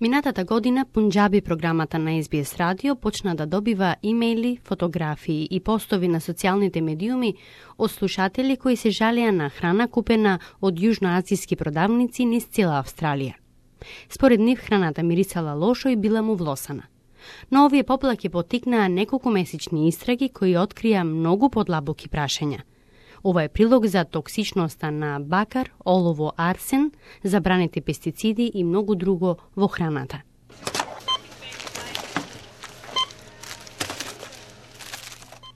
Минатата година Пунџаби програмата на SBS радио почна да добива имејли, фотографии и постови на социјалните медиуми од слушатели кои се жалеа на храна купена од јужноазијски продавници низ цела Австралија. Според нив храната мирисала лошо и била му влосана. Но овие поплаки поттикнаа неколку месечни истраги кои открија многу подлабоки прашања. Ова е прилог за токсичноста на бакар, олово, арсен, забраните пестициди и многу друго во храната.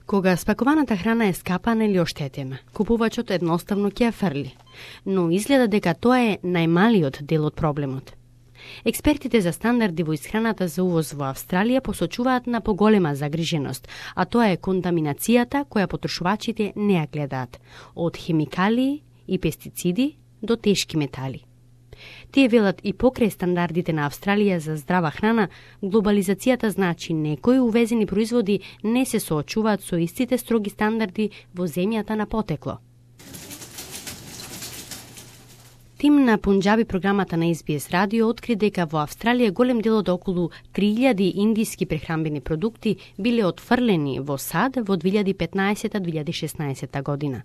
Кога спакуваната храна е скапана или оштетена, купувачот едноставно ќе ја фрли, но изгледа дека тоа е најмалиот дел од проблемот. Експертите за стандарди во исхраната за увоз во Австралија посочуваат на поголема загриженост, а тоа е контаминацијата која потрошувачите не ја гледаат, од хемикалии и пестициди до тешки метали. Тие велат и покрај стандардите на Австралија за здрава храна, глобализацијата значи некои увезени производи не се соочуваат со истите строги стандарди во земјата на потекло. Тим на Пунџаби програмата на SBS радио откри дека во Австралија голем дел од околу 3000 индиски прехранбени продукти биле отфрлени во САД во 2015-2016 година.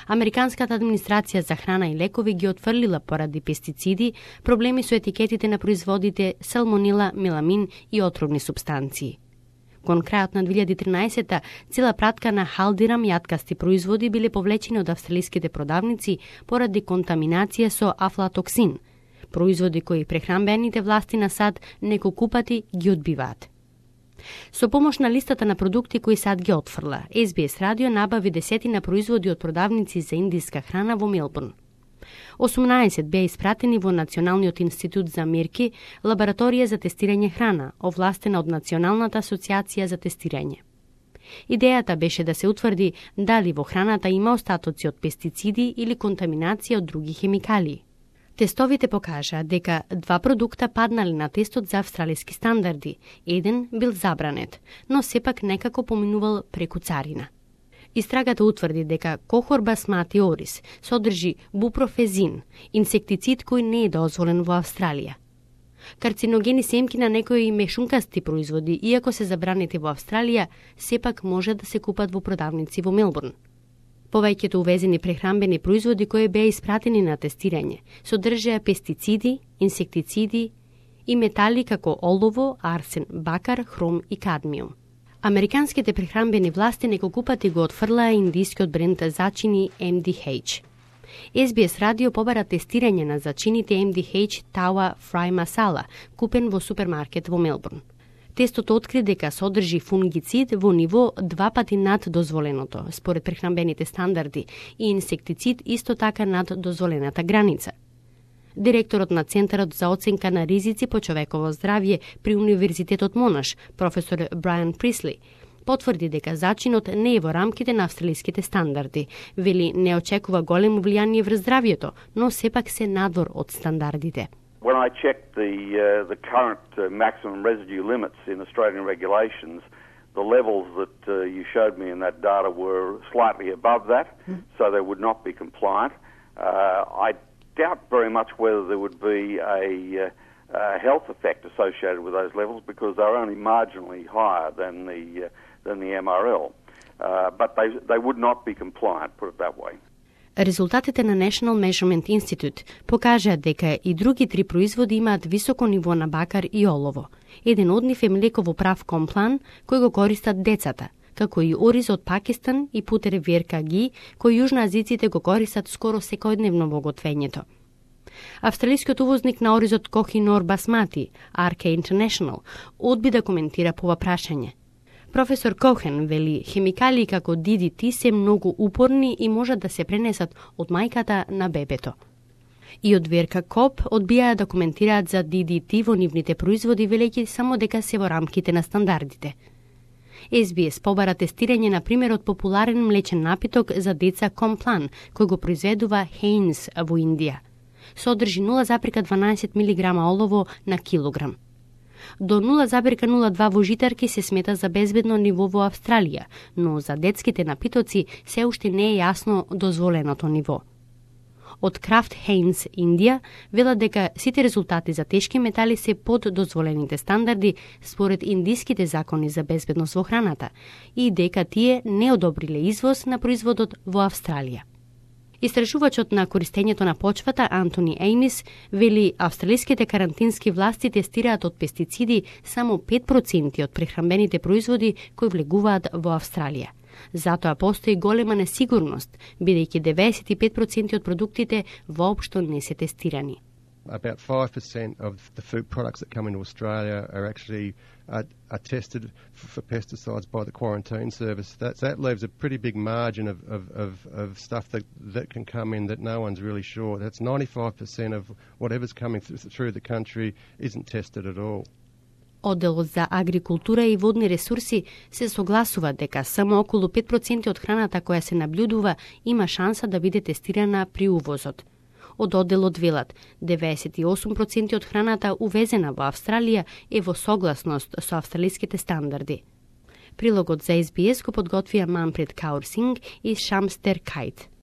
Американската администрација за храна и лекови ги отфрлила поради пестициди, проблеми со етикетите на производите, салмонела, меламин и отровни супстанции. Кон крајот на 2013-та, цела пратка на халдирам јаткасти производи биле повлечени од австралиските продавници поради контаминација со афлатоксин, производи кои прехранбените власти на САД неколку пати ги одбиваат. Со помош на листата на продукти кои САД ги отфрла, SBS радио набави десетина производи од продавници за индиска храна во Мелбурн. 18 беа испратени во Националниот институт за мерки, лабораторија за тестирање храна, овластена од Националната асоциација за тестирање. Идејата беше да се утврди дали во храната има остатоци од пестициди или контаминација од други хемикалии. Тестовите покажаа дека 2 продукта паднале на тестот за австралиски стандарди, еден бил забранет, но сепак некако поминувал преку царина. Истрагата утврди дека кохор басмати орис содржи бупрофезин, инсектицид кој не е дозволен во Австралија. Карциногени семки на некои мешункасти производи, иако се забранети во Австралија, сепак може да се купат во продавници во Мелбурн. Повеќето увезени прехранбени производи кои беа испратени на тестирање содржаа пестициди, инсектициди и метали како олово, арсен, бакар, хром и кадмиум. Американските прехранбени власти неколку пати го отфрлаа индискиот бренд зачини MDH. SBS радио побара тестирање на зачините MDH Tawa Fry Masala, купен во супермаркет во Мелбурн. Тестот откри дека содржи фунгицид во ниво 2 пати над дозволеното, според прехранбените стандарди, и инсектицид исто така над дозволената граница. Директорот на Центарот за оценка на ризици по човеково здравје при Универзитетот Монаш, професор Брайан Присли, потврди дека зачинот не е во рамките на австралиските стандарди. Вели не очекува големо влијание врз здравјето, но сепак се надвор од стандардите. When I checked the current maximum residue limits in Australian regulations, the levels that you showed me in that data were slightly above that, so they would not be compliant. I doubt very much whether there would be a health effect associated with those levels because they're only marginally higher than the MRL. But they would not be compliant, put it that way. Резултатите на National Measurement Institute покажаат дека и други 3 производи имаат високо ниво на бакар и олово. Еден од нив е млеково прав комплан кој го користат децата, како и ориз од Пакистан и путер веркаги, кој јужноазиците го користат скоро секојдневно во готвењето. Австралискиот увозник на оризот Кохинор Басмати, RK International, одби да коментира по ова прашање. Професор Кохен вели хемикалии како DDT се многу упорни и можат да се пренесат од мајката на бебето. И од Верка Коп одбијаа да коментираат за DDT во нивните производи, велејќи само дека се во рамките на стандардите. SBS побара тестирање на примерот популарен млечен напиток за деца Комплан, кој го произведува Heinz во Индија. Содржи 0,12 мг олово на килограм. До 0,02 во житарки се смета за безбедно ниво во Австралија, но за детските напитоци се уште не е јасно дозволеното ниво. Од Kraft Heinz Индија велат дека сите резултати за тешки метали се под дозволените стандарди според индиските закони за безбедност во храната и дека тие не одобриле извоз на производот во Австралија. Истражувачот на користењето на почвата Антони Еймис вели австралиските карантински власти тестираат од пестициди само 5% од прехранбените производи кои влегуваат во Австралија. Затоа постои голема несигурност, бидејќи 95% од продуктите воопшто не се тестирани. About 5% of the food products that come into Australia are actually are tested for pesticides by the quarantine service. That leaves a pretty big margin of stuff that can come in that no one's really sure. That's 95% of whatever's coming through the country isn't tested at all. Одделот за агрикултура и водни ресурси се согласува дека само околу 5% од храната која се наблюдува има шанса да биде тестирана при увозот. Од одделот велат, 98% од храната увезена во Австралија е во согласност со австралиските стандарди. Прилогот за SBS го подготвија Манфред Каурсинг и Шамстер Кајт.